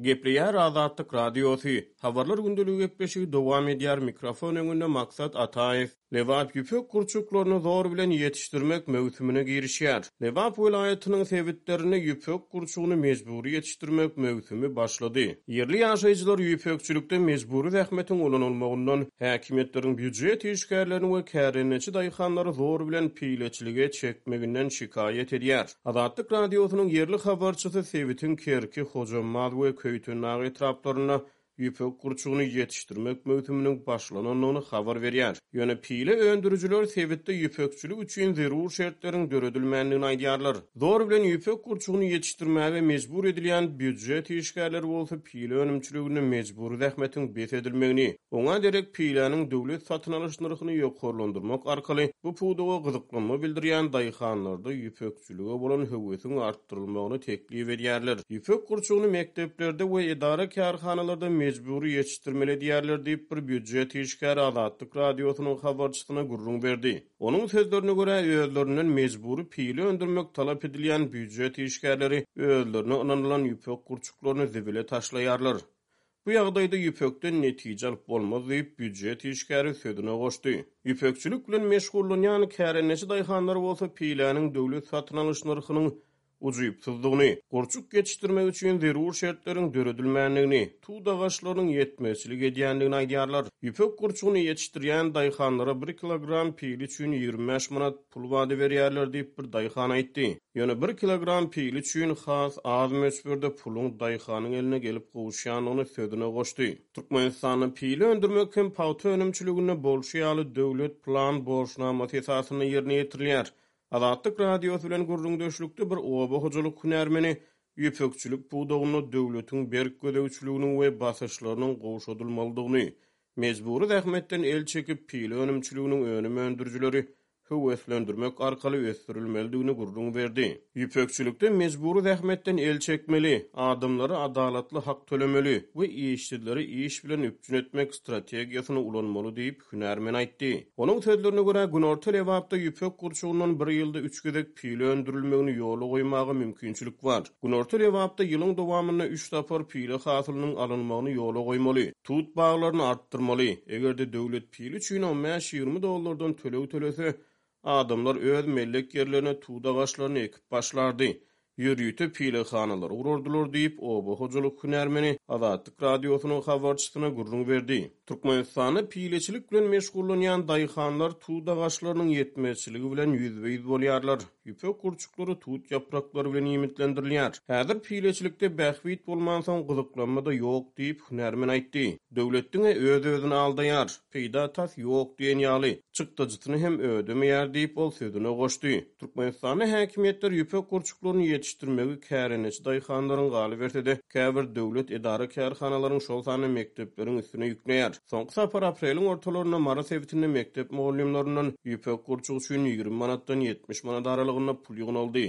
Gepleýär Azatlyk Radiosy, Habarlar gündeligi gepleşigi dowam edýär, mikrofon öňünde Maksat Ataýew. Lebap ýüpek gurçuklaryny zor bilen ýetişdirmek möwsümine girişýär. Lebap welaýatynyň sebitlerinde ýüpek gurçugyny mejbury ýetişdirmek möwsümi başlady. Ýerli ýaşaýjylar ýüpekçilikde mejbury zähmetiň ulanylmagyndan, häkimiýetleriň býujet işgärlerini we kärendeçi daýhanlary zor bilen pileçilige çekmeginden şikaýat edýär. Azatlyk Radiosynyň ýerli habarçysy sebitiň Kerki, Hojambaz we Köýtendag etraplarynda ýüpek gurçugyny ýetişdirmek möwsüminiň başlanandygyny habar berýär. Ýöne pile öndürijiler sebitde ýüpekçilik üçin zerur şertleriň döredilmändigini aýdýarlar. Zor bilen ýüpek gurçugyny ýetişdirmäge mejbur edilýän býujet işgärleri bolsa pile önümçiliginde mejbury zähmetiň bes edilmegini, oňa derek piläniň döwlet satyn alyş nyrhyny ýokarlandyrmak arkaly bu pudaga gyzyklanma bildirýän daýhanlarda ýüpekçilige bolan höwesiň artdyrylmagyny teklip edýärler. Ýüpek gurçugyny mekdeplerde we edara-kärhanalarda mejbury ýetişdirmeli edýärler diýip, bir býujet işgäri Azatlyk Radiosynyň habarçysyna gürrüň berdi. Onuň sözlerine görä, özlerinden mejbury pile öndürmek talap edilýän býujet işgärleri özlerine ynanylan ýüpek gurçuklaryny zibile taşlaýarlar. Bu ýagdaýda ýüpekden netije alyp bolmaz diýip, býujet işgäri sözüne goşdy. Ýüpekçilik bilen meşgullanýan kärendeçi daýhanlar bolsa piläniň döwlet satyn alyş nyrhynyň ujypsyzdygyny, gurçuk ýetişdirmek üçin zerur şertleriň döredilmändigini, tut agaçlarynyň ýetmezçilik edýändigini aýdýarlar. Ýüpek gurçugyny ýetişdirýän daýhanlara bir kilogram pile üçin 25 manat pul wada berýärler diýip, bir daýhan aýtdy. Ýöne bir kilogram pile üçin has az möçberde puluň daýhanyň eline gelip gowuşýandygyny sözüne goşdy. Türkmenistanda pile öndürmek hem pagta önümçiliginde bolşy ýaly döwlet plan borçnamasy esasynda ýerine ýetirilýär. Azatlyk Radiosy bilen gürrüňdeşlikde bir oba hojalyk hünärmeni ýüpekçilik pudagynda döwletiň berk gözegçiliginiň we basyşlarynyň gowşadylmalydygyny, mejbury zähmetden el çekip, pile önümçiliginiň önüm öndürijileri höweslendirmek arkaly ösdürilmelidigini gürrüň berdi. Ýüpekçilikde mejbury zähmetden el çekmeli, adamlara adalatly hak tölemeli we işsizleri iş bilen üpjün etmek strategiýasyny ulanmaly diýip, hünärmen aýtdy. Onuň sözlerine görä, günorta Lebapda ýüpek gurçugyndan bir ýylda üç gezek pile öndürilmegini ýola goýmaga mümkinçilik bar. Günorta Lebapda ýylyň dowamynda üç sapar pile hasylynyň alynmagyny ýola goýmaly. Tut baglaryny artdyrmaly. Eger-de döwlet pile üçin on bäş-ýigrimi dollardan töleg tölese, adamlar öz mellek ýerlerine tut agaçlaryny ekip başlardy. Ýörite pilehanalary gurardylar diýip, oba hojalyk hünärmeni Azatlyk Radiosynyň habarçysyna gürrüň berdi. Türkmenistanda pileçilik bilen meşgullanýan daýhanlar tut agaçlarynyň ýetmezçiligi bilen ýüzbe-ýüz bolýarlar. Ýüpek gurçuklary tut ýapraklary bilen iýmitlendirilýär. Häzir pileçilikde bähbit bolmansoň gyzyklanma-da ýok diýip, hünärmen aýtdy. Döwlet diňe öz-özüni aldaýar. Peýda tas ýok diýen ýaly. Çykdajysyny hem ödemeýär diýip, ol sözüne goşdy. Türkmenistanda häkimiýetler ýüpek gurçuklaryny ýetişdirmegi kärendeçi daýhanlaryň, galyberse-de, käbir döwlet edara-kärhanalaryň, şol sanda mekdepleriň üstüne ýükleýär. Soňky sapar apreliň ortalarynda Mary sebitinde mekdep mugallymlaryndan ýüpek gurçugy üçin 20 manatdan 70 manat aralygynda pul ýygnaldy.